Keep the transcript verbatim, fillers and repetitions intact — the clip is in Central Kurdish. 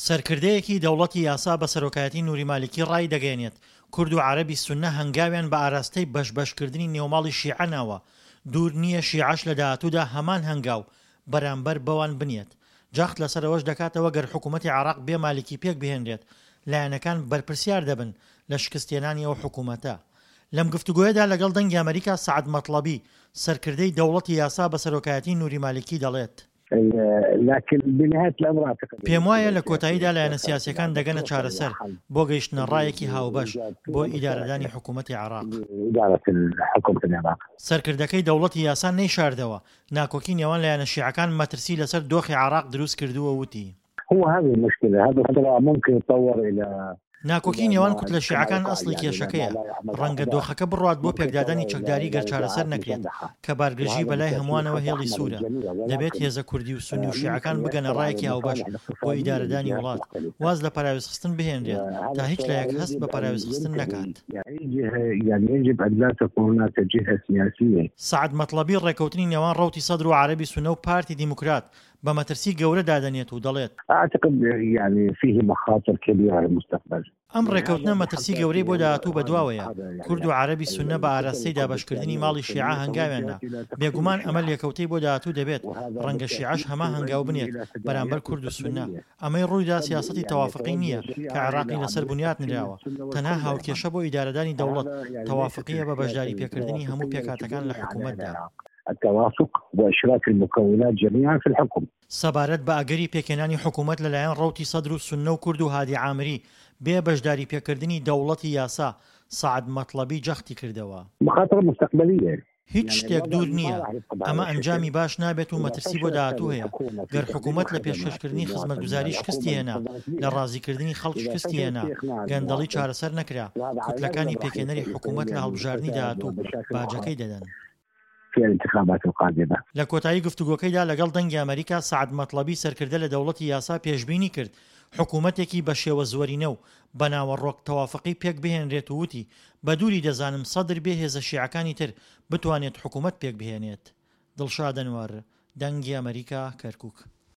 سەرکردەیەکی دەوڵەتی یاسا بە سەرۆکایەتی نوری مالیکی ڕایدەگەیەنێت، کورد و عەرەبی سوننە هەنگاویان بە ئاراستەی بەش بەشکردنی نێوماڵی شیعە ناوە، دوور نییە شیعەش لە داهاتوودا هەمان هەنگاو بەرامبەر بەوان بنێت. جەخت لەسەر ئەوەش دەکاتەوە گەر حکوومەتی عێراق بێ مالیکی پێک بهێنرێت، لایەنەکان بەرپرسیار دەبن لە شکستهێنانی ئەو حکوومەتە. لەم گفتوگۆیەدا لەگەڵ دەنگی ئەمەریکا سەعد مەتڵەبی، سەرکردەی دەوڵەتی یاسا بە سەرۆکایەتی نوری مالیکی دەڵێت. پێموایە لە کۆتاییدا لایەنە سیاسییەکان دەگەنە چارەسەر بۆ گەیشتنە ڕایەکی هاوبەش بۆ ئیدارەدانی حکوومەتی عێراق. سەرکردەکەی دەوڵەتی یاسا نەیشاردەوە، ناکۆکی نێوان لایەنە شیعەکان مەترسی لەسەر دۆخی عێراق دروست کردووە وتی. ناکۆکی نێوان کوتلە شیعەکان ئەسڵی کێشەکەیە، ڕەنگە دۆخەکە بڕوات بۆ پێکدادانی چەکداری گەر چارەسەر نەکرێت، کە بارگرژی بەلای هەمووانەوە هێڵی سوورە، دەبێت هێزە کوردی و سوننی و شیعەکان بگەنە ڕایەکی هاوبەش بۆ ئیدارەدانی وڵات، واز لە پەراوێزخستن بهێنرێت تا هیچ لایەک هەست بە پەراوێزخستن نەکات. سەعد مەتڵەبی ڕێککەوتنی نێوان ڕەوتی سەدر و عەرەبی سوننە و پارتی دیموکرات بە مەترسی گەورە دادەنێت و دەڵێت. ئەم ڕێککەوتنە مەترسی گەورەی بۆ داهاتوو بەدواوەیە، کورد و عەرەبی سوننە بە ئاراستەی دابەشکردنی ماڵی شیعە هەنگاویان نا، بێگومان ئەمە لێکەوتەی بۆ داهاتوو دەبێت، ڕەنگە شیعەش هەمان هەنگاو بنێت بەرامبەر کورد و سوننە، ئەمەی ڕوویدا سیاسەتی تەوافقی نییە کە عێراقی لەسەر بنیات نراوە، تەنها هاوکێشە بۆ ئیدارەدانی دەوڵەت تەوافقییە بە بەشداریپێکردنی هەموو پێکهاتەکان لە حکومەتدا. التوافق واشراك المكونات جميعا في الحكم. سەبارەت بە ئەگەری پێکهێنانی حکوومەت لەلایەن ڕەوتی سەدر و سوننە و کورد و هادی عامری بێ بەشداریپێکردنی دەوڵەتی یاسا، سەعد مەتڵەبی جەختی کردەوە. مخاطرە مستقبلیە. هیچ شتێک دوور نییە، ئەمە ئەنجامی باش نابێت و مەترسی بۆ داهاتوو هەیە، گەر حکوومەت لە پێشکەشکردنی خزمەتگوزاری شکستی هێنا، لە ڕازیکردنی خەڵک شکستی هێنا، گەندەڵی چارەسەر نەکرا، کوتلەکانی پێکهێنەری حکوومەت لە هەڵبژاردنی داهاتوو باجەکەی دەدەن. في الانتخابات القادمة. لە کۆتایی گفتوگۆکەیدا لەگەڵ دەنگی ئەمەریکا سەعد مەتڵەبی سەرکردە لە دەوڵەتی یاسا پێشبینی کرد حکوومەتێکی بە شێوە زۆرینە و بە ناوەڕۆک تەوافقی پێک بهێنرێت و وتی بە دووری دەزانم سەدر بێ هێزە شیعەکانی تر بتوانێت حکوومەت پێک بهێنێت. دڵشاد ئەنوەر، دەنگی ئەمەریکا، کەرکوک.